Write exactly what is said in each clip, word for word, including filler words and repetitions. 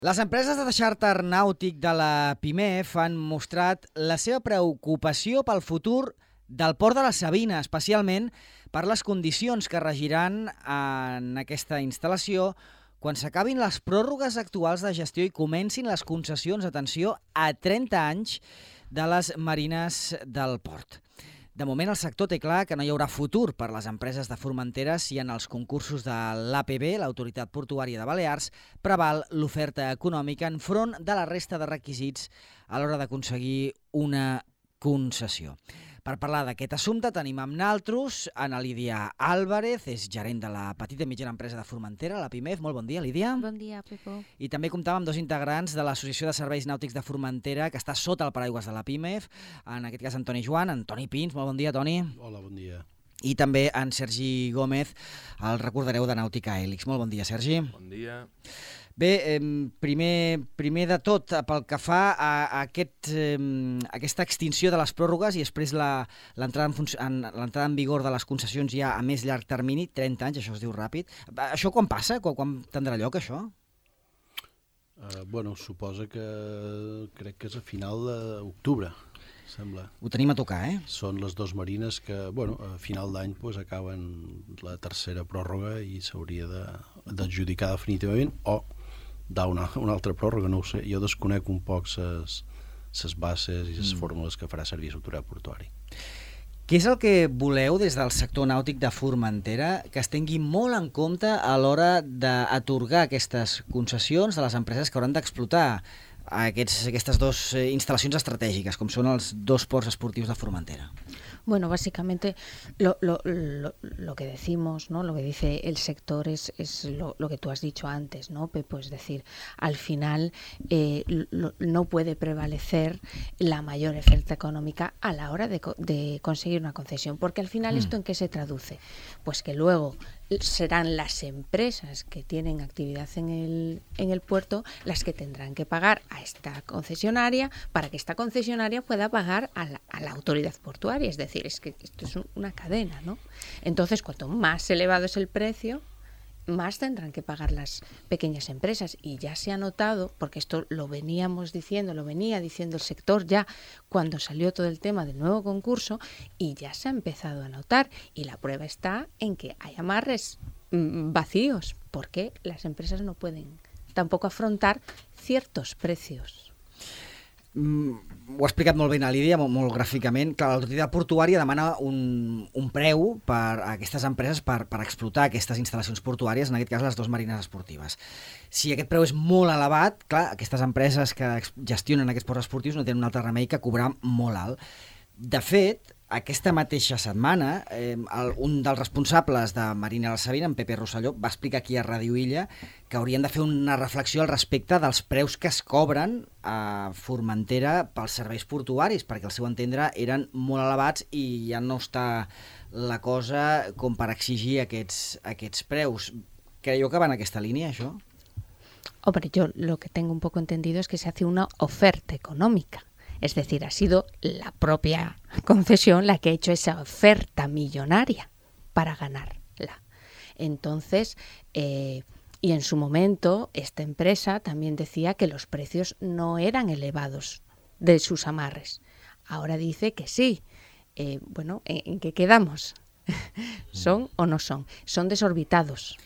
Les empreses de xàrter nàutic de la PIMEF han mostrat la seva preocupació pel futur del port de la Sabina, especialment per les condicions que regiran en aquesta instal·lació quan s'acabin les pròrrogues actuals de gestió i comencin les concessions, atenció, a trenta anys de les marines del port. De moment, el sector té clar que no hi haurà futur per les empreses de Formentera si en els concursos de l'A P B, l'Autoritat Portuària de Balears, preval l'oferta econòmica enfront de la resta de requisits a l'hora d'aconseguir una concessió. Per parlar d'aquest assumpte tenim amb naltros Ana Lídia Álvarez, és gerent de la petita i mitjana empresa de Formentera, la PIMEF. Molt bon dia, Lídia. Bon dia, Pepo. I també comptàvem amb dos integrants de l'Associació de Serveis Nàutics de Formentera, que està sota el paraigües de la PIMEF, en aquest cas Antoni Joan, Antoni Pins. Molt bon dia, Toni. Hola, bon dia. I també en Sergi Gómez, el recordareu de Nàutica Hèlix. Molt bon dia, Sergi. Bon dia. Bé, eh, primer, primer de tot, pel que fa a, a aquest, eh, aquesta extinció de les pròrrogues i després l'entrada en, en, l'entrada en vigor de les concessions ja a més llarg termini, trenta anys, això es diu ràpid. Això quan passa? Quan, quan tindrà lloc, això? Uh, bueno, suposa que crec que és a final d'octubre, sembla. Ho tenim a tocar, eh? Són les dues marines que, bueno, a final d'any pues, acaben la tercera pròrroga i s'hauria d'adjudicar definitivament o dar una, una altra pròrroga, no ho sé. Jo desconec un poc les bases i les mm. fórmules que farà servir l'autoritat portuària. Què és el que voleu des del sector nàutic de Formentera que es tingui molt en compte a l'hora d'atorgar aquestes concessions de les empreses que hauran d'explotar aquests, aquestes dues instal·lacions estratègiques, com són els dos ports esportius de Formentera? Bueno, básicamente lo, lo, lo, lo que decimos, ¿no? Lo que dice el sector es, es lo, lo que tú has dicho antes, ¿no, Pepo? Es decir, al final eh, lo, no puede prevalecer la mayor oferta económica a la hora de, de conseguir una concesión, porque al final mm. ¿esto en qué se traduce? Pues que luego serán las empresas que tienen actividad en el, en el puerto las que tendrán que pagar a esta concesionaria para que esta concesionaria pueda pagar a la, a la autoridad portuaria. Es decir, es que esto es una cadena, ¿no? Entonces, cuanto más elevado es el precio, más tendrán que pagar las pequeñas empresas. Y ya se ha notado, porque esto lo veníamos diciendo, lo venía diciendo el sector ya cuando salió todo el tema del nuevo concurso, y ya se ha empezado a notar. Y la prueba está en que hay amarres mmm, vacíos, porque las empresas no pueden tampoco afrontar ciertos precios. Mm, ho ha explicat molt bé na Lídia, molt, molt gràficament. Clar, l'autoritat portuària demana un, un preu per a aquestes empreses per, per explotar aquestes instal·lacions portuàries, en aquest cas les dues marines esportives. Si aquest preu és molt elevat, clar, aquestes empreses que gestionen aquests ports esportius no tenen un altre remei que cobrar molt alt. De fet, aquesta mateixa setmana, eh, el, un dels responsables de Marina de la Sabina, en Pepe Rosselló, va explicar aquí a Ràdio Illa que haurien de fer una reflexió al respecte dels preus que es cobren a Formentera pels serveis portuaris, perquè al seu entendre eren molt elevats i ja no està la cosa com per exigir aquests, aquests preus. Creieu que va en aquesta línia, això? Hombre, yo lo que tengo un poco entendido es que se hace una oferta económica. Es decir, ha sido la propia concesión la que ha hecho esa oferta millonaria para ganarla. Entonces, eh, y en su momento, esta empresa también decía que los precios no eran elevados de sus amarres. Ahora dice que sí. Eh, bueno, ¿en, ¿en qué quedamos? ¿Son o no son? Son desorbitados.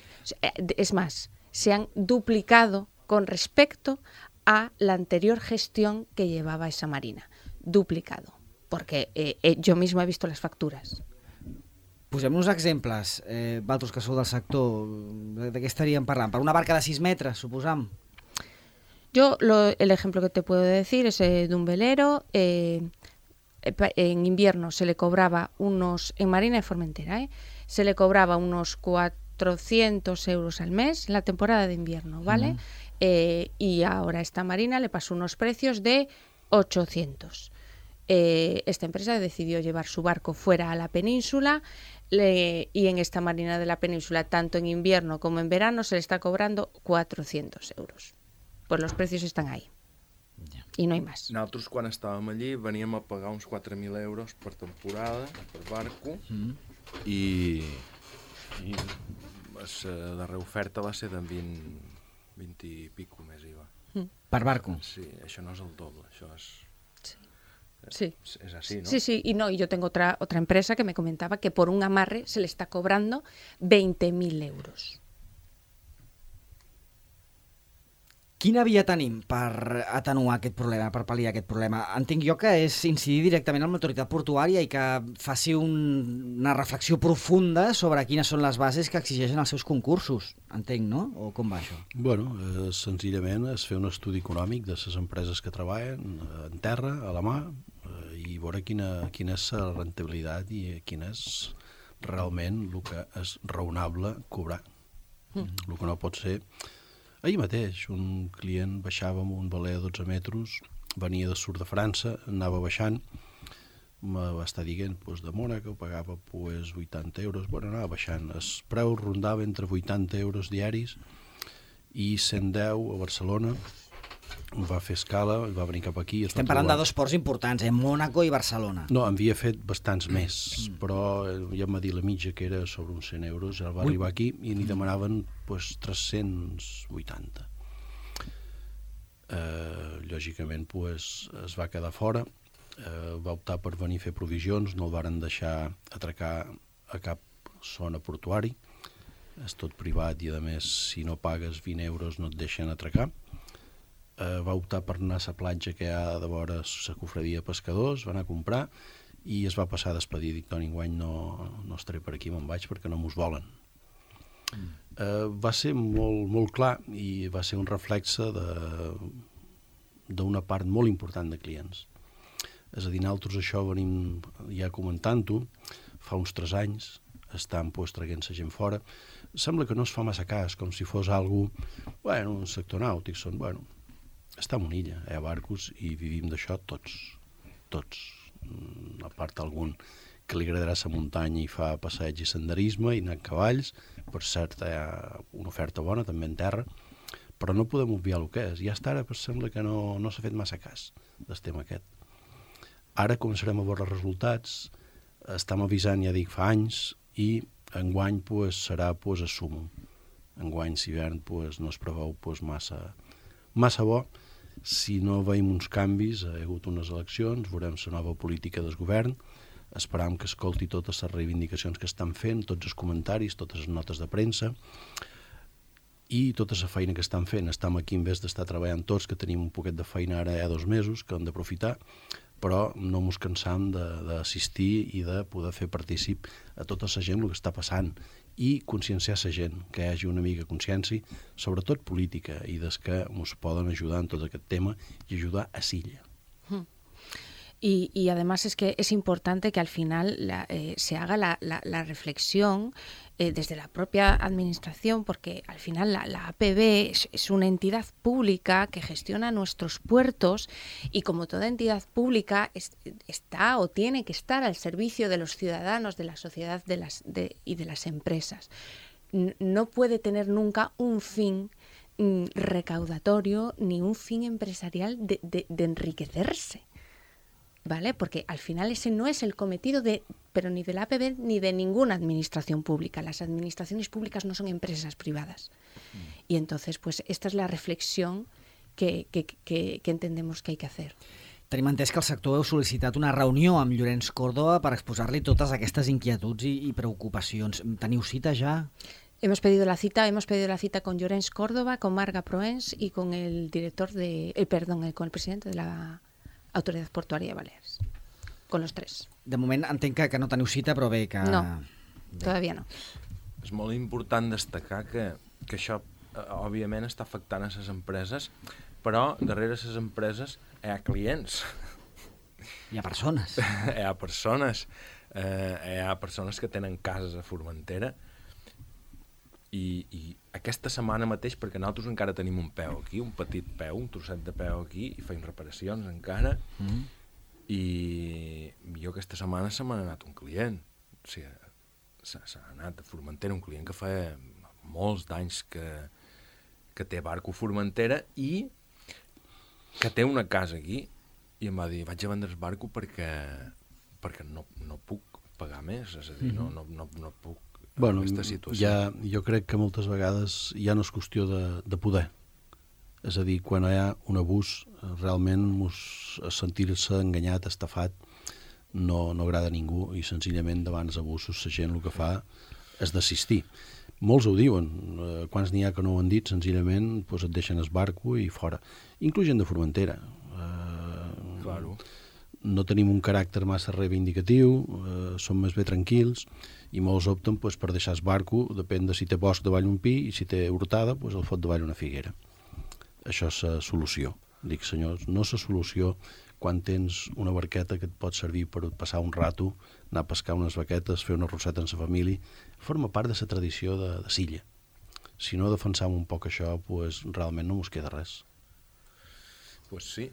Es más, se han duplicado con respecto a la anterior gestión que llevaba esa marina. Duplicado. Porque eh, eh, yo mismo he visto las facturas. Posem uns exemples, eh, vosaltres que sou del sector, de, de què estaríem parlant? Per una barca de sis metres, suposam? Yo, lo, el ejemplo que te puedo decir es eh, de un velero. Eh, en invierno se le cobraba unos, en Marina de Formentera, eh, se le cobraba unos cuatrocientos euros al mes en la temporada de invierno, ¿vale? Uh-huh. Eh, y ahora esta marina le pasó unos precios de ochocientos. Eh, esta empresa decidió llevar su barco fuera a la península le, y en esta marina de la península, tanto en invierno como en verano, se le está cobrando cuatrocientos euros. Pues los precios están ahí. Yeah. I no hi més. Nosaltres, quan estàvem allí, veníem a pagar uns quatre mil euros per temporada, per barco, mm. i, i la darrera oferta va ser de vint, vint i pico més I V A. Per barco. Sí, això no és el doble, això és... Sí. Es así, ¿no? Sí, sí, y no, y yo tengo otra, otra empresa que me comentaba que por un amarre se le está cobrando veinte mil euros. Quina via tenim per atenuar aquest problema, per pal·liar aquest problema? Entenc jo que és incidir directament amb l'autoritat portuària i que faci un, una reflexió profunda sobre quines són les bases que exigeixen els seus concursos. Entenc, no? O com va això? Bueno, eh, senzillament és fer un estudi econòmic de les empreses que treballen en terra, a la mà, eh, i veure quina, quina és la rentabilitat i quin és realment el que és raonable cobrar. Mm. El que no pot ser... Ahir mateix un client baixava amb un veler de dotze metres, venia de sud de França, anava baixant, me va estar dient pues, de Mònaco, pagava pues, vuitanta euros, bueno, anava baixant. El preu rondava entre vuitanta euros diaris i cent deu a Barcelona. Va fer escala, va venir cap aquí. Estem parlant de dos ports importants, eh? Mónaco i Barcelona. No, havia fet bastants més, mm. però ja em va dir la mitja que era sobre uns cent euros, ja va Ui. arribar aquí i n'hi demanaven pues, tres-cents vuitanta. Eh, lògicament pues, es va quedar fora, eh, va optar per venir a fer provisions, no el varen deixar atracar a cap zona portuari, és tot privat i a més si no pagues vint euros no et deixen atracar. Uh, va optar per anar a la platja que hi ha de vora la cofradia de pescadors, va anar a comprar i es va passar a despedir. Dic, Toni, enguany no, no estaré per aquí, me'n vaig perquè no mos volen. Mm. Uh, va ser molt, molt clar i va ser un reflexe d'una part molt important de clients. És a dir, nosaltres això venim ja comentant-ho, fa uns tres anys, estan pues, traient la gent fora. Sembla que no es fa massa cas, com si fos algú, bueno, un sector nàutic, són, bueno, està en una illa, hi ha barcos i vivim d'això tots, tots. A part algun que li agradarà la muntanya i fa passeig i senderisme i anar a cavalls, per cert hi ha una oferta bona també en terra, però no podem obviar el que és. I hasta ara sembla que no, no s'ha fet massa cas del tema aquest. Ara començarem a veure els resultats, estem avisant, ja dic, fa anys, i enguany pues, serà pues, a sumum. Enguany, si hivern, pues, no es preveu pues, massa, massa bo. Si no veiem uns canvis, hi ha hagut unes eleccions, veurem la nova política del govern, esperam que escolti totes les reivindicacions que estan fent, tots els comentaris, totes les notes de premsa i tota la feina que estan fent. Estem aquí en vez d'estar treballant tots, que tenim un poquet de feina ara hi ha dos mesos, que hem d'aprofitar, però no ens cansam d'assistir i de poder fer partícip a tota la gent el que està passant i conscienciar la gent, que hi hagi una mica consciència, sobretot política, i des que ens poden ajudar en tot aquest tema i ajudar a Silla. Mm. Y, y además es que es importante que al final la, eh, se haga la, la, la reflexión eh, desde la propia administración, porque al final la, la A P B es, es una entidad pública que gestiona nuestros puertos y como toda entidad pública es, está o tiene que estar al servicio de los ciudadanos, de la sociedad de las, de, y de las empresas. No puede tener nunca un fin mm, recaudatorio ni un fin empresarial de, de, de enriquecerse. ¿Vale? Porque al final ese no es el cometido de, pero ni de la A P B ni de ninguna administración pública. Las administraciones públicas no son empresas privadas. Mm. Y entonces, pues esta es la reflexión que, que, que, que entendemos que hay que hacer. Tenim entès que el sector heu sol·licitat una reunió amb Llorenç Córdoba per exposar-li totes aquestes inquietuds i, i preocupacions. Teniu cita ja? Hemos pedido la cita, hemos pedido la cita con Llorenç Córdoba, con Marga Proens y con el director de, eh, perdón, el, con el presidente de la Autoridad Portuària de Balears, con los tres. De moment entenc que, que no teniu cita, però bé que... No, bé. todavía no. És molt important destacar que, que això, eh, òbviament, està afectant a les empreses, però darrere les empreses hi ha clients. Hi ha persones. Hi ha persones. Eh, hi ha persones que tenen cases a Formentera i, i aquesta setmana mateix, perquè nosaltres encara tenim un peu aquí, un petit peu, un trosset de peu aquí, i feim reparacions encara, mm. i jo aquesta setmana se m'ha anat un client. O sigui, s'ha anat a Formentera, un client que fa molts d'anys que, que té barco a Formentera i que té una casa aquí, i em va dir, vaig a vendre el barco perquè, perquè no, no puc pagar més, és a dir, no, no, no, no puc bueno, aquesta situació. Ja, jo crec que moltes vegades ja no és qüestió de, de poder, És a dir, quan hi ha un abús, realment sentir-se enganyat, estafat, no, no agrada a ningú i senzillament davant els abusos la gent el que fa és desistir. Molts ho diuen, eh, quants n'hi ha que no ho han dit, senzillament pues, et deixen el barco i fora. Inclús gent de Formentera. Eh, Claro. No tenim un caràcter massa reivindicatiu, eh, som més bé tranquils i molts opten pues, per deixar el barco, depèn de si té bosc davall un pi i si té hortada, pues, el fot davall una figuera. Això és la solució. Dic, senyors, no és la solució quan tens una barqueta que et pot servir per passar un rato, anar a pescar unes vaquetes, fer una rosseta amb la família. Forma part de la tradició de, de Silla. Si no defensam un poc això, pues, realment no mos queda res. Pues sí.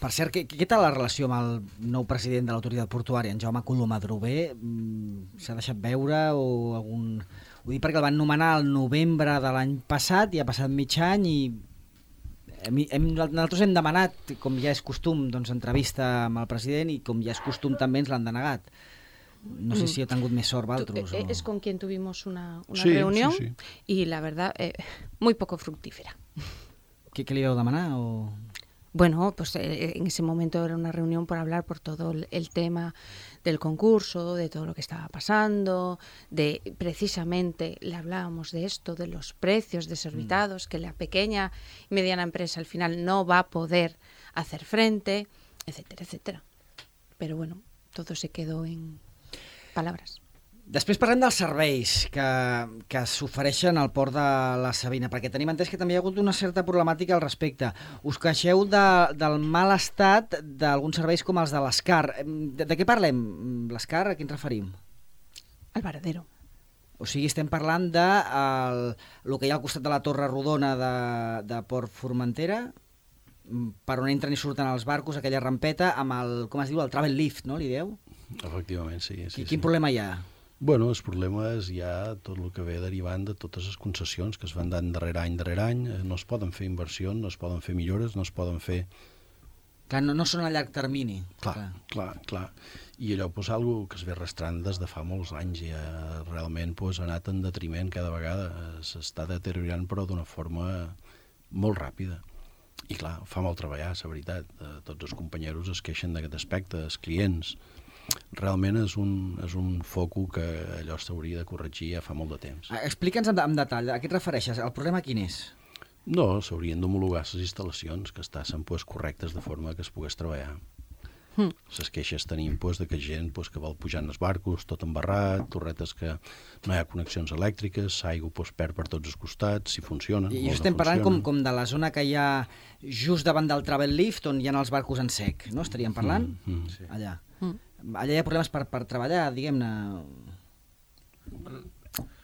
Per cert, què, què tal la relació amb el nou president de l'autoritat portuària, en Jaume Colom Adrover? S'ha deixat veure o algun... Ho dic perquè el van nomenar el novembre de l'any passat i ha passat mig any i hem, hem, nosaltres hem demanat, com ja és costum, doncs, entrevista amb el president i com ja és costum també ens l'han denegat. No sé si he tingut més sort valtros. Tu, o... Es con quien tuvimos una, una sí, reunión sí, sí. y la verdad, eh, muy poco fructífera. Què, què li vau demanar? O... Bueno, pues eh, en ese momento era una reunión por hablar por todo el, el tema del concurso, de todo lo que estaba pasando, de precisamente le hablábamos de esto, de los precios desorbitados, mm. que la pequeña y mediana empresa al final no va a poder hacer frente, etcétera, etcétera. Pero bueno, todo se quedó en palabras. Després parlem dels serveis que, que s'ofereixen al port de la Sabina, perquè tenim entès que també hi ha hagut una certa problemàtica al respecte. Us queixeu de, del mal estat d'alguns serveis com els de l'Escar. De, de què parlem? L'Escar, a què ens referim? Al Varadero. O sigui, estem parlant de el, el que hi ha al costat de la Torre Rodona de, de Port Formentera, per on entren i surten els barcos, aquella rampeta, amb el, com es diu, el travel lift, no? Li dieu? Efectivament, sí. sí Quin sí. problema hi ha? Bueno, el problema és ja tot el que ve derivant de totes les concessions que es van dant darrere any, darrere any. No es poden fer inversions, no es poden fer millores, no es poden fer... Clar, no, no són a llarg termini. Clar, clar, clar. clar. I allò pues, algo que es ve arrastrant des de fa molts anys i eh, realment pues, ha anat en detriment cada vegada. S'està deteriorant però d'una forma molt ràpida. I clar, fa molt treballar, la veritat. Eh, tots els companyeros es queixen d'aquest aspecte, els clients... Realment és un, és un foco que allò s'hauria de corregir ja fa molt de temps. Explica'ns en, en detall, a què et refereixes? El problema quin és? No, s'haurien d'homologar les instal·lacions que estan pues, correctes de forma que es pogués treballar. Mm. Les queixes tenim pues, de que gent pues, que vol pujar en els barcos, tot embarrat, torretes que no hi ha connexions elèctriques, l'aigua pues, perd per tots els costats, si funcionen. I estem no parlant com, com de la zona que hi ha just davant del travel lift, on hi ha els barcos en sec, no? Estaríem parlant? Mm, mm. Sí. Allà. Mm. Allà hi ha problemes per, per treballar, diguem-ne...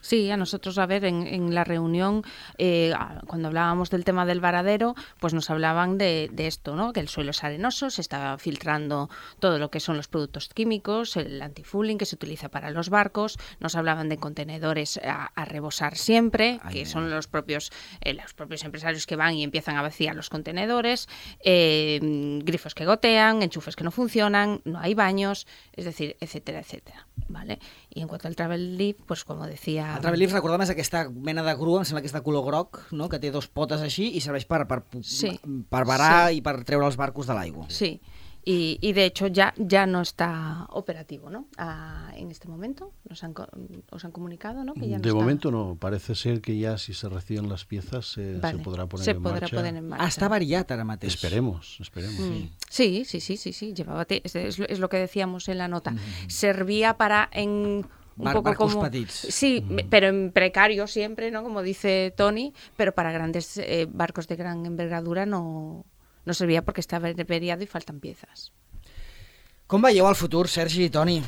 Sí, a nosotros, a ver, en, en la reunión, eh, cuando hablábamos del tema del varadero, pues nos hablaban de, de esto, ¿no? Que el suelo es arenoso, se está filtrando todo lo que son los productos químicos, el antifouling que se utiliza para los barcos, nos hablaban de contenedores a, a rebosar siempre, Ay, que ay, son ay. los propios, eh, los propios empresarios que van y empiezan a vaciar los contenedores, eh, grifos que gotean, enchufes que no funcionan, no hay baños, es decir, etcétera, etcétera, ¿vale? Y en cuanto al travel lift, pues como decía... El travel lift, recordem, és aquesta mena de grua, em sembla que és de color groc, no? Que té dos potes així i serveix per, per, Sí. per varar Sí. i per treure els barcos de l'aigua. Sí, y, y de hecho ya, ya no está operativo, ¿no? Ah, en este momento, nos han, co- os han comunicado, ¿no? Que ya no De está... momento no, parece ser que ya si se reciben las piezas se, Vale, se podrá poner se en podrá marcha. poner en marcha. Ah, està variat ara mateix. Esperemos, esperemos. Mm. Sí, sí, sí, sí, sí, llevaba te- es, es lo- es lo que decíamos en la nota. Servía para en un Bar- poco barcos como petits. sí, me- pero en precario siempre, ¿no? Como dice Tony, pero para grandes eh, barcos de gran envergadura no no servía porque está averiado y faltan piezas. Com veieu el futur, Sergi i Toni?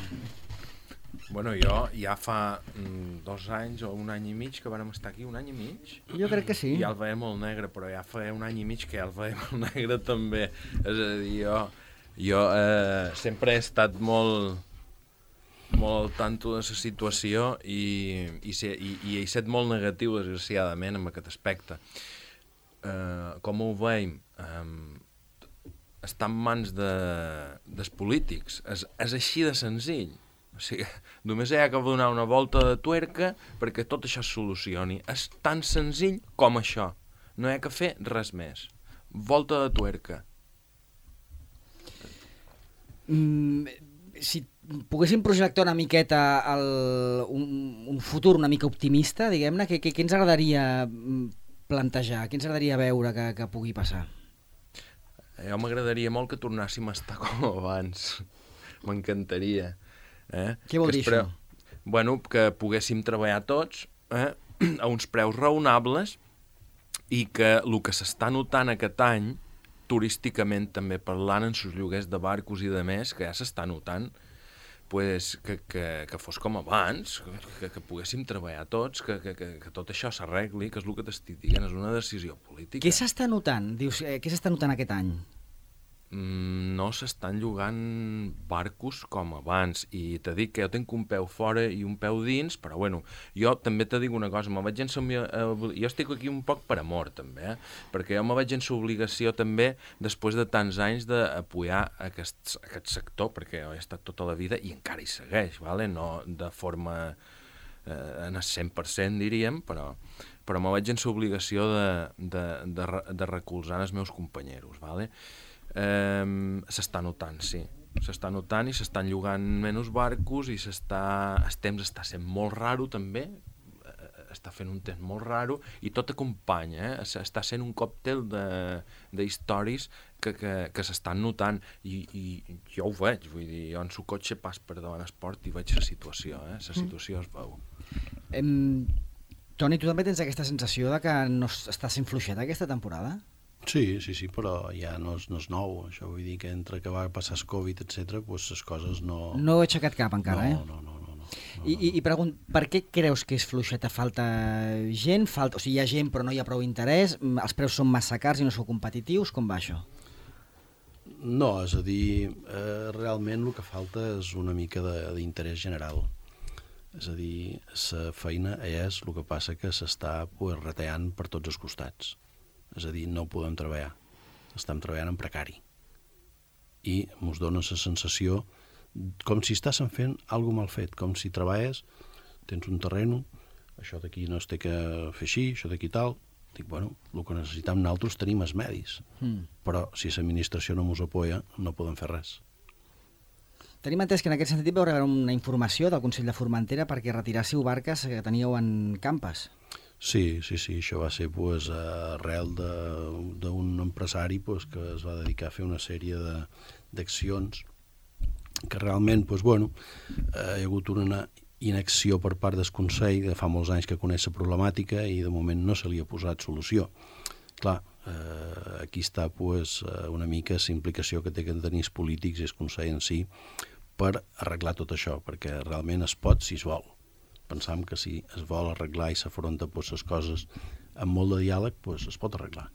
Bueno, jo ja fa mm, dos anys o un any i mig que vàrem estar aquí, un any i mig. Jo crec que sí. I ja el veiem molt negre, però ja fa un any i mig que ja el veiem molt negre també. És a dir, jo, jo eh, sempre he estat molt, molt al tanto de la situació i, i, se, i, i he estat molt negatiu, desgraciadament, en aquest aspecte. Eh, com ho veiem? Eh, està en mans de, dels polítics. És, és així de senzill. O sigui, només hi ha que donar una volta de tuerca perquè tot això es solucioni. És tan senzill com això. No hi ha que fer res més. Volta de tuerca. Mm, si poguéssim projectar una miqueta el, un, un futur una mica optimista, diguem-ne, què, què, què ens agradaria plantejar, què ens agradaria veure que, que pugui passar? Jo m'agradaria molt que tornàssim a estar com abans. M'encantaria. Eh? Què vol dir preu... això? Bueno, que poguéssim treballar tots eh? a uns preus raonables i que el que s'està notant aquest any, turísticament també parlant, en sus lloguers de barcos i de més, que ja s'està notant, pues, que, que, que fos com abans, que, que poguéssim treballar tots, que, que, que, que tot això s'arregli, que és el que t'estic dient, és una decisió política. Què s'està notant? Dius, eh, què s'està notant aquest any? Mm, no s'estan llogant barcos com abans, i te dic que jo tinc un peu fora i un peu dins, però bueno, jo també te dic una cosa, me vaig en som... jo estic aquí un poc per amor també, eh? Perquè jo me vaig en l'obligació també, després de tants anys, d'apoyar aquest, aquest sector, perquè jo he estat tota la vida i encara hi segueix, vale? No de forma eh, en el cent per cent diríem, però, però me vaig en l'obligació de, de, de, de recolzar els meus companyeros, vale? Eh, s'està notant, sí. S'està notant i s'estan llogant menys barcos i s'està... el temps està sent molt raro també, està fent un temps molt raro i tot acompanya, eh? Està sent un còctel d'històries que, que, que s'estan notant i, i jo ho veig, vull dir, jo en el cotxe pas per davant esport i veig la situació, eh? La situació es veu. Em... Toni, tu també tens aquesta sensació de que no està sent fluixeta aquesta temporada? Sí, sí, sí, però ja no és, no és nou, això vull dir que entre que va passar el Covid, etcètera, doncs les coses no... No he aixecat cap encara, no, eh? No, no, no. no, no I, i, i pregunt, per què creus que és fluixeta? Falta gent? Falta, o sigui, hi ha gent però no hi ha prou interès? Els preus són massa cars i no són competitius? Com va això? No, és a dir, eh, realment el que falta és una mica d'interès general. És a dir, la feina és el que passa que s'està pues, retallant per tots els costats. És a dir, no podem treballar. Estem treballant en precari. I ens dona la sensació com si estàssim fent alguna mal fet, com si treballes, tens un terreno, això d'aquí no es té que fer així, això d'aquí tal. Dic, bueno, el que necessitem nosaltres tenim els medis, mm. però si l'administració no ens apoya, no podem fer res. Tenim entès que en aquest sentit vau rebre una informació del Consell de Formentera perquè retirássiu barques que teníeu en campes. Sí, sí, sí, això va ser pues, arrel d'un empresari pues, que es va dedicar a fer una sèrie d'accions que realment pues, bueno, eh, hi ha hagut una inacció per part del Consell de fa molts anys que coneix la problemàtica i de moment no se li ha posat solució. Clar, eh, aquí està pues, una mica la implicació que té que tenir els polítics i el Consell en si per arreglar tot això, perquè realment es pot si es vol. Pensam que si es vol arreglar i s'afronta pues, les coses amb molt de diàleg, pues, es pot arreglar.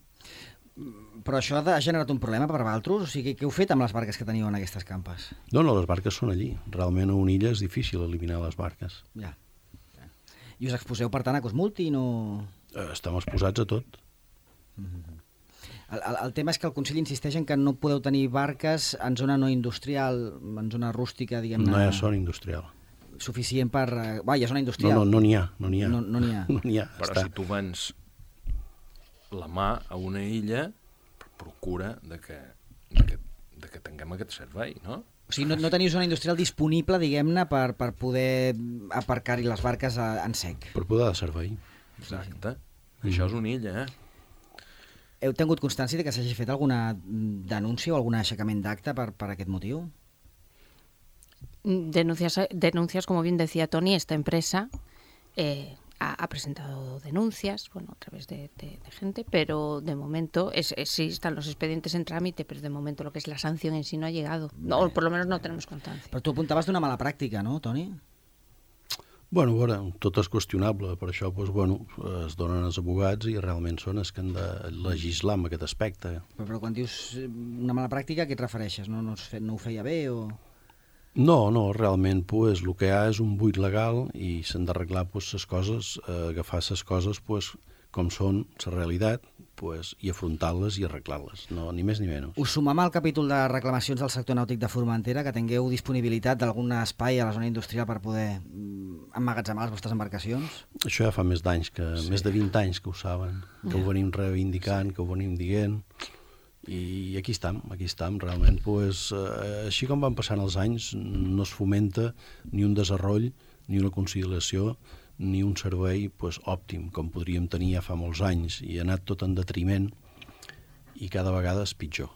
Però això ha generat un problema per vosaltres? O sigui, què heu fet amb les barques que teníeu en aquestes campes? No, no, les barques són allí. Realment a una illa és difícil eliminar les barques. Ja. I us exposeu, per tant, a Cosmulti? No... Estem exposats a tot. Mm-hmm. El, el, el tema és que el Consell insisteix en que no podeu tenir barques en zona no industrial, en zona rústica, diguem-ne... No hi ha zona industrial. Suficient per... Va, hi ha zona industrial. No, no, no n'hi ha. No n'hi ha. No, no n'hi ha. No n'hi ha. Però està. si tu vens la mà a una illa, procura de que, de que, de que tinguem aquest servei, no? O sigui, no, no teniu zona industrial disponible, diguem-ne, per, per poder aparcar-hi les barques a, en sec. Per poder de servei. Exacte. Sí. Això és una illa, eh? Heu tingut constància de que s'hagi fet alguna denúncia o algun aixecament d'acte per, per aquest motiu? Denuncias, denuncias, como bien decía Toni, esta empresa eh, ha, ha presentado denuncias, bueno, a través de, de, de gente, pero de momento es, es, sí están los expedientes en trámite, pero de momento lo que es la sanción en sí no ha llegado, no, o por lo menos no tenemos constancia. Però tu apuntaves d'una mala pràctica, no, Toni? Bueno, a veure, tot és qüestionable, per això doncs, bueno, es donen els abogats i realment són els que han de legislar en aquest aspecte. Però, però quan dius una mala pràctica, a què et refereixes? No, no, no ho feia bé o...? No, no, realment pues, el que hi ha és un buit legal i s'han d'arreglar pues, les coses, eh, agafar les coses pues, com són la realitat pues, i afrontar-les i arreglar-les, no, ni més ni menys. Us sumam al capítol de reclamacions del sector nàutic de Formentera, que tingueu disponibilitat d'algun espai a la zona industrial per poder emmagatzemar les vostres embarcacions? Això ja fa més d'anys, que sí. més de vint anys que ho saben, que yeah. ho venim reivindicant, sí. que ho venim dient, i aquí estem, aquí estem, realment. Pues, eh, així com van passant els anys, no es fomenta ni un desenvolupament, ni una conciliació, ni un servei pues, òptim, com podríem tenir ja fa molts anys, i ha anat tot en detriment, i cada vegada és pitjor.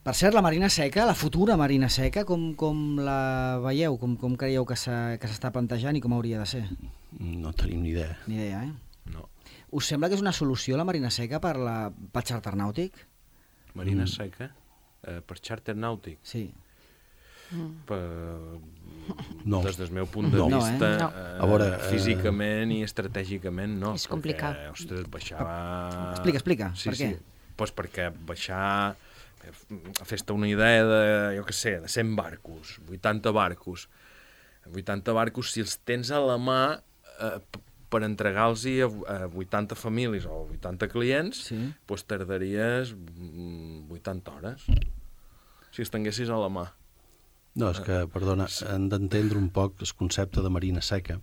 Per cert, la Marina Seca, la futura Marina Seca, com, com la veieu? Com, com creieu que s'està plantejant i com hauria de ser? No tenim ni idea. Ni idea, eh? No. Us sembla que és una solució la Marina Seca per, la, per xàrter nàutic? Marina Mm. Seca? Eh, per xàrter nàutic? Sí. Per... No. Des del meu punt de No. vista, No, eh? A veure, eh, físicament i estratègicament no. És complicat. Perquè, ostres, baixar... Explica, explica, Sí, per sí. què? Pues perquè baixar... Fes-te una idea de, jo què sé, de cent barcos, vuitanta barcos. vuitanta barcos, si els tens a la mà eh, per entregar-los a, a vuitanta famílies o vuitanta clients, Sí. pues tardaries vuitanta hores. Si els tinguessis a la mà. No, és que, perdona, hem d'entendre un poc el concepte de Marina Seca.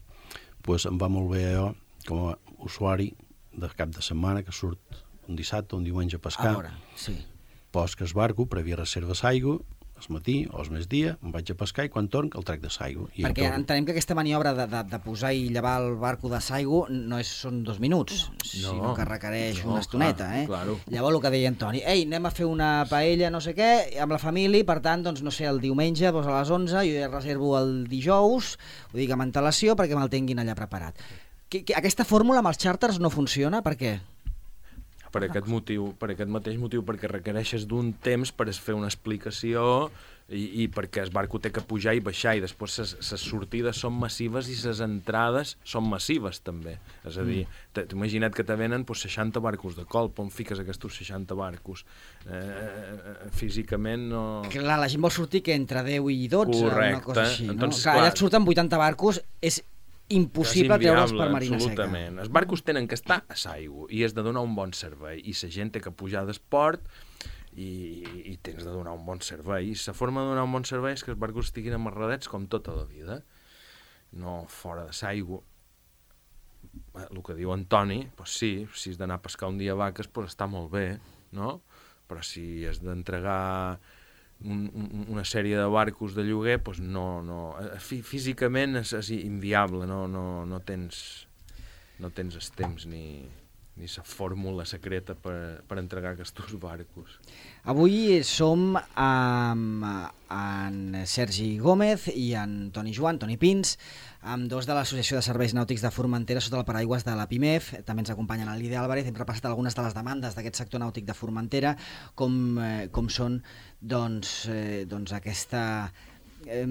Pues em va molt bé jo, com a usuari de cap de setmana, que surt un dissabte o un diumenge a pescar. A veure, sí. Posc el barco, prèvia reserva d'aigua, al matí o al migdia, em vaig a pescar i quan torn el trec de l'aigua. Perquè entenem que aquesta maniobra de, de, de posar i llevar el barco de l'aigua no és, són dos minuts, no. sinó que requereix no, una estoneta. clar, eh? claro. Llavors el que deia Antoni, ei, anem a fer una paella no sé què, amb la família, i per tant, doncs, no sé, el diumenge doncs, a les onze, jo ja reservo el dijous, ho dic amb antelació perquè me'l tinguin allà preparat. Que, que, aquesta fórmula amb els xàrters no funciona, per què? Per aquest motiu, per aquest mateix motiu, perquè requereixes d'un temps per fer una explicació i, i perquè el barco té que pujar i baixar, i després les sortides són massives i les entrades són massives també. És a dir, t'imagina't que te venen pues, seixanta barcos de colp, on fiques aquests seixanta barcos? Eh, físicament no... Clar, la gent vol sortir que entre deu i dotze, Correcte. una cosa així. No? Entonces, Clar, clar, allà et surten vuitanta barcos, és impossible treure'ls per Marina Seca. Absolutament. Els barcos tenen que estar a l'aigua i has de donar un bon servei, i la gent té que pujar d'esport i, i tens de donar un bon servei, i la forma de donar un bon servei és que els barcos estiguin amarradets com tota la vida, no fora de l'aigua. El que diu Antoni, pues sí, si has d'anar a pescar un dia vaques, pues està molt bé, no? Però si has d'entregar Un, un, una sèrie de barcos de lloguer, doncs no, no, físicament és, és inviable, no, no, no tens no tens el temps ni, ni la fórmula secreta per, per entregar aquests barcos. Avui som amb en Sergi Gómez i en Toni Joan, Toni Pins, amb dos de l'Associació de Serveis Nàutics de Formentera sota el paraigües de la PIMEF. També ens acompanyen el Lídia Álvarez. Hem repassat algunes de les demandes d'aquest sector nàutic de Formentera, com, eh, com són doncs, eh, doncs aquesta, eh,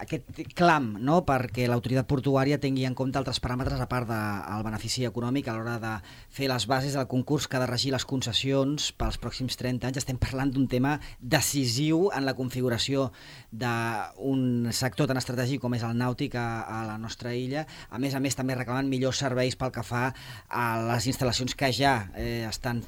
aquest clam, no?, perquè l'autoritat portuària tingui en compte altres paràmetres a part del benefici econòmic a l'hora de fer les bases del concurs que ha de regir les concessions pels pròxims trenta anys. Estem parlant d'un tema decisiu en la configuració d'un sector tan estratègic com és el nàutic a, a la nostra illa. A més a més, també reclamant millors serveis pel que fa a les instal·lacions que ja eh, estan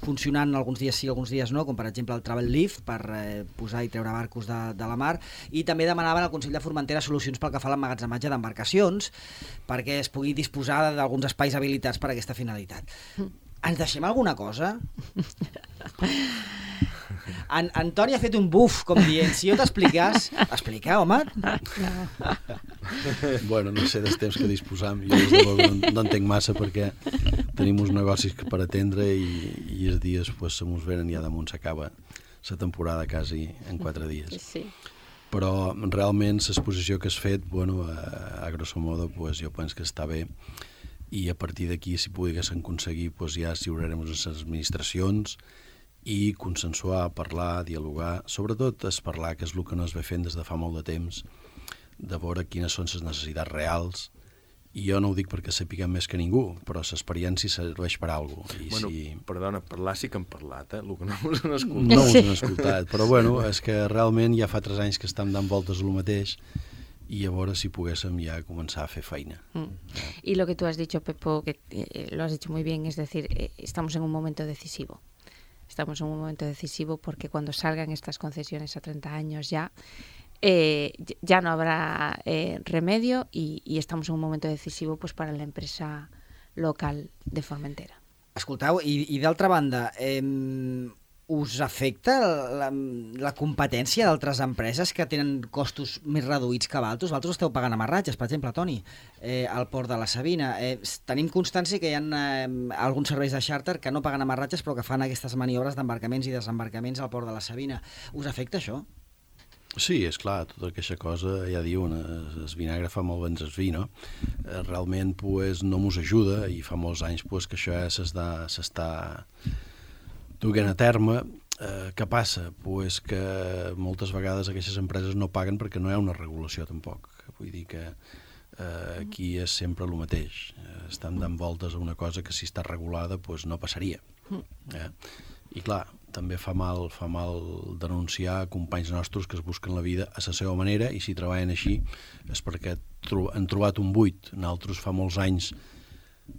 funcionant alguns dies sí, alguns dies no, com per exemple el Travel Lift per eh, posar i treure barcos de, de la mar, i també demanaven al Consell de Formentera solucions pel que fa a l'emmagatzematge d'embarcacions perquè es pugui disposar d'alguns espais habilitats per a aquesta finalitat. Ens deixem alguna cosa? En, Antoni ha fet un buf, com dient, si jo t'expliqués... Explica, home? Bueno, no sé dels temps que disposam. Jo des de bo no, no entenc massa perquè tenim uns negocis que per atendre i, i els dies pues, se mos venen i ja damunt s'acaba la temporada quasi en quatre dies. Sí. Però realment l'exposició que has fet, bueno, a, a grosso modo, pues, jo penso que està bé, i a partir d'aquí, si poguéssim aconseguir, pues, ja lliurarem les administracions i consensuar, parlar, dialogar, sobretot és parlar, que és el que no es ve fent des de fa molt de temps, de veure quines són les necessitats reals, i jo no ho dic perquè sapiguem més que ningú, però l'experiència serveix per a alguna cosa. Bueno, si... perdona, parlar sí que hem parlat, eh? El que no us han escoltat. No us han escoltat, però bueno, és que realment ja fa tres anys que estem dant voltes a lo mateix, y a veure si puguéssim ya comenzar a hacer feina. Mm. Y lo que tú has dicho, Pepo, que eh, lo has dicho muy bien, es decir, eh, estamos en un momento decisivo. Estamos en un momento decisivo porque cuando salgan estas concesiones a treinta años ya, eh, ya no habrá eh, remedio y, y estamos en un momento decisivo pues, para la empresa local de Formentera. Escolteu, i, i d'altra banda, eh, us afecta la, la competència d'altres empreses que tenen costos més reduïts que vosaltres? Vosaltres esteu pagant amarratges, per exemple, Toni, eh, al port de la Sabina. Eh, tenim constància que hi ha eh, alguns serveis de xàrter que no paguen amarratges però que fan aquestes maniobres d'embarcaments i desembarcaments al port de la Sabina. Us afecta això? Sí, és clar, tota aquesta cosa, ja diuen, el vinagre fa molt ben el vi, no? Realment pues, no mos ajuda i fa molts anys pues, que això ja s'està duent a terme. Eh, què passa? Pues que moltes vegades aquestes empreses no paguen perquè no hi ha una regulació tampoc. Vull dir que eh, aquí és sempre el mateix. Eh, estan dant voltes a una cosa que si està regulada pues, no passaria. Eh? I clar, també fa mal, fa mal denunciar companys nostres que es busquen la vida a la seva manera i si treballen així és perquè han trobat un buit. Nosaltres fa molts anys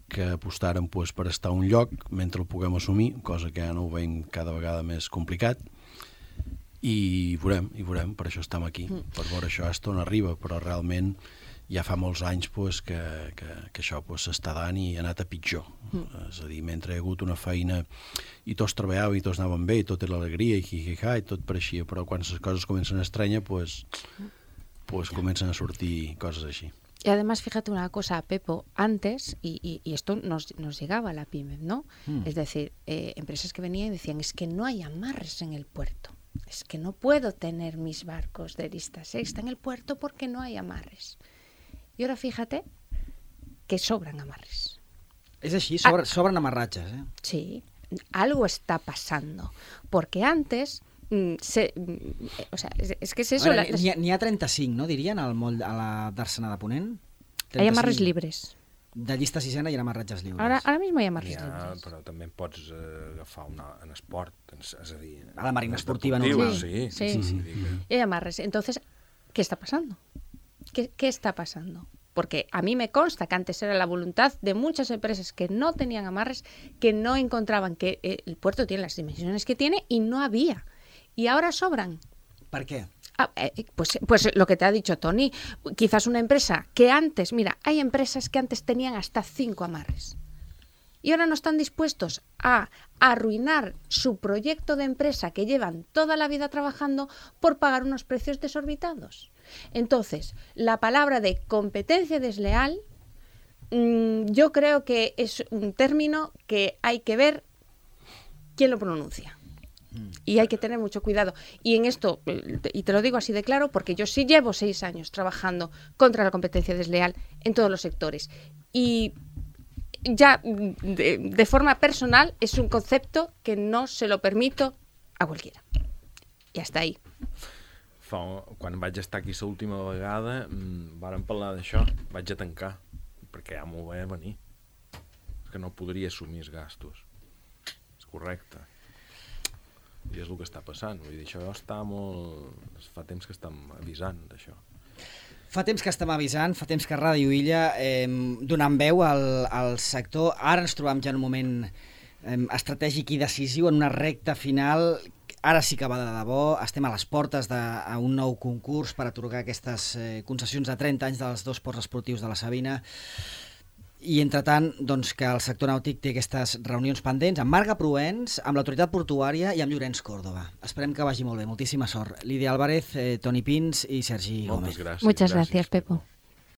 que apostaren pues, per estar a un lloc mentre el puguem assumir, cosa que ja no ho veiem cada vegada més complicat i veurem, i veurem, per això estem aquí, per veure això hasta on arriba, però realment ja fa molts anys pues, que, que, que això s'està pues, dant i ha anat a pitjor. Mm. És a dir, mentre hi ha hagut una feina i tots treballaven i tots anaven bé i tot era alegria i hi-hi-ha i tot pareixia, però quan les coses comencen a estranyar pues, pues comencen a sortir coses així. Y además, fíjate una cosa, Pepo, antes, y, y, y esto nos, nos llegaba a la PYME, ¿no? Mm. Es decir, eh, empresas que venían y decían, es que no hay amarres en el puerto, es que no puedo tener mis barcos de lista sexta en el puerto porque no hay amarres. Y ahora fíjate que sobran amarres. Es así, sobra, ah, sobran amarratges, ¿eh? Sí, algo está pasando. Porque antes, mm, se, mm, o sea, es, es que es eso... Veure, la... N'hi ha trenta-cinc, no, dirien, al moll a la d'Arsenal de Ponent? trenta-cinc. Hay amarres libres. De llista sisena hi ha amarratges lliures. Ara, ara mismo hi ha amarres ha, libres. Però també pots eh, agafar una, en esport, és a dir... A la marina esportiva normal. Sí, sí, sí. sí, sí. sí. Hay amarres. Entonces, ¿qué está pasando? ¿Qué, ¿Qué está pasando? Porque a mí me consta que antes era la voluntad de muchas empresas que no tenían amarres, que no encontraban que el puerto tiene las dimensiones que tiene y no había. Y ahora sobran. ¿Por qué? Ah, eh, pues, pues lo que te ha dicho Toni, quizás una empresa que antes, mira, hay empresas que antes tenían hasta cinco amarres. Y ahora no están dispuestos a arruinar su proyecto de empresa que llevan toda la vida trabajando por pagar unos precios desorbitados. Entonces, la palabra de competencia desleal, mmm, yo creo que es un término que hay que ver quién lo pronuncia. Y hay que tener mucho cuidado. Y en esto, y te lo digo así de claro, porque yo sí llevo seis años trabajando contra la competencia desleal en todos los sectores. Y ya de, de forma personal es un concepto que no se lo permito a cualquiera. I hasta ahí. Fa, quan vaig estar aquí l'última vegada, mmm, vàrem parlar d'això, vaig a tancar, perquè ja m'ho veia venir. És que no podria assumir els gastos. És correcte. I és el que està passant. Vull dir, això està molt... Fa temps que estem avisant d'això. Fa temps que estem avisant, fa temps que Ràdio Illa eh, donant veu al, al sector. Ara ens trobem ja en un moment eh, estratègic i decisiu, en una recta final. Ara sí que va de debò. Estem a les portes d'un nou concurs per atorgar aquestes eh, concessions de trenta anys dels dos ports esportius de la Sabina. I, entretant, doncs, que el sector nàutic té aquestes reunions pendents amb Marga Proens, amb l'autoritat portuària i amb Llorenç Córdoba. Esperem que vagi molt bé. Moltíssima sort. Lídia Álvarez, eh, Toni Pins i Sergi Gómez. Moltes gràcies. Muchas gracias, Pepo.